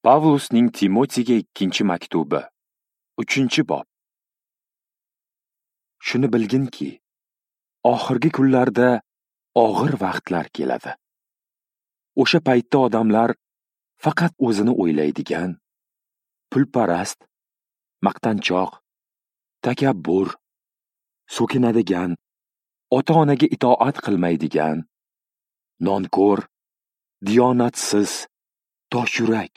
Pavlusning Timotiyga ikkinchi maktubi, 3-bob. Shuni bilginki, oxirgi kunlarda og'ir vaqtlar keladi. O'sha paytda odamlar faqat o'zini o'ylaydigan, pulparast, maqtanchoq, takabbur, so'kinadigan, ota-onaga itoat qilmaydigan, nonko'r, diyonatsiz, toshyurak,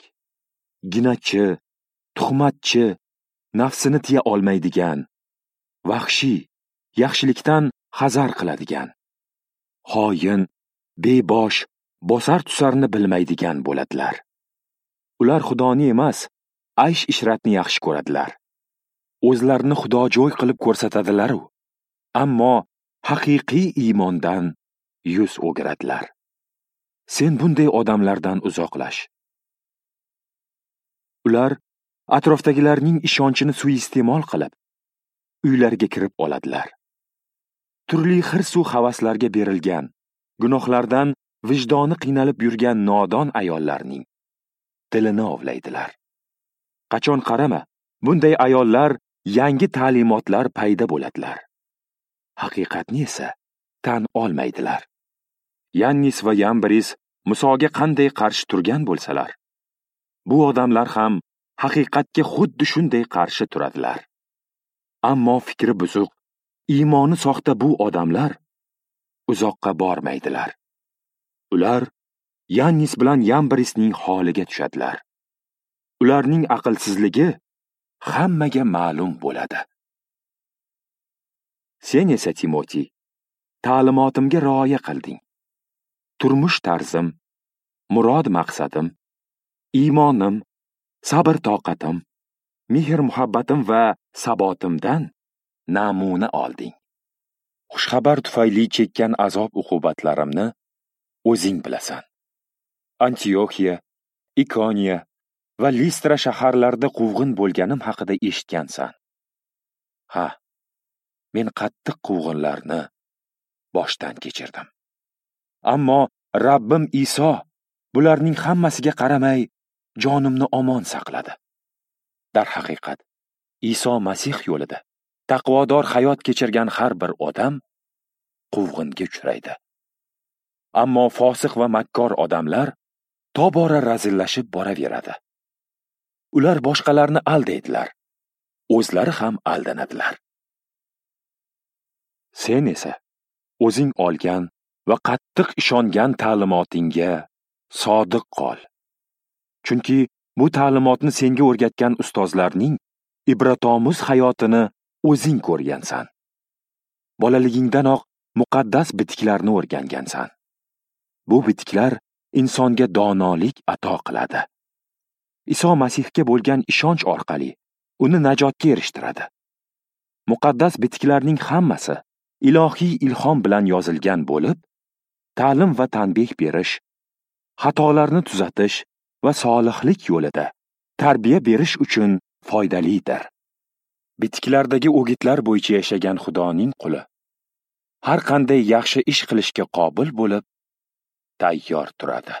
ginachi, tuhmatchi, nafsini tiya olmaydigan, vahshiy, yaxshilikdan hazar qiladigan, xoin, bebosh, bosar tusarni bilmaydigan bo'ladilar. Ular Xudoni emas, aysh-ishratni yaxshi ko'radilar. O'zlarini xudojo'y qilib ko'rsatadilar-u, ammo haqiqiy iymondan yuz o'giradilar. Sen bunday odamlardan uzoqlash. Ular atrofdagilarning ishonchini suiiste'mol qilib, uylariga kirib oladilar. Turli hirsu havaslarga berilgan, gunohlardan vijdoni qiynalib yurgan nodon ayollarning tilini ovlaydilar. Qachon qarama, bunday ayollar yangi ta'limotlar paydo bo'ladilar. Haqiqatni esa tan olmaydilar. Yannis va Yambris Musoga qanday qarshi turgan bo'lsalar, bu odamlar ham haqiqatga xuddi shunday qarshi turadilar. Ammo fikri buzuq, iymoni soxta bu odamlar uzoqqa bormaydilar. Ular Yannis bilan Yambrisning holiga tushadilar. Ularning aqlsizligi hammaga ma'lum bo'ladi. Sen esa Timoti, ta'limotimga rioya qilding. Turmush tarzim, murod maqsadim, iymonim, sabr toqatim, mehr-muhabbatim va sabotimdan namuna olding. Xushxabar tufayli chekkan azob-uqubatlarimni o'zing bilasan. Antioxiya, Ikoniya va Listra shaharlarida quvg'in bo'lganim haqida eshitgansan. Ha, men qattiq quvg'inlarni boshdan kechirdim. Ammo Rabbim Iso bularning hammasiga qaramay jonimni omon saqladi. Darhaqiqat, Iso Masih yo'lida taqvodor hayot kechirgan har bir odam quvg'inga uchraydi. Ammo fosiq va makkor odamlar tobora razillashib boraveradi. Ular boshqalarni aldaydilar, o'zlari ham aldanadilar. Sen esa o'zing olgan va qattiq ishongan ta'limotingga sodiq qol. Chunki bu ta'limotni senga o'rgatgan ustozlarning ibratomuz hayotini o'zing ko'rgansan. Bolaligingdanoq muqaddas bitiklarni o'rgangansan. Bu bitiklar insonga donolik ato qiladi. Iso Masihga bo'lgan ishonch orqali uni najotga erishtiradi. Muqaddas bitiklarning hammasi ilohiy ilhom bilan yozilgan bo'lib, ta'lim va tanbeh berish, xatolarni tuzatish va solihlik yo'lida tarbiya berish uchun foydalidir. Bitiklardagi o'gitlar bo'yicha yashagan Xudoning quli har qanday yaxshi ish qilishga qobil bo'lib, tayyor turadi.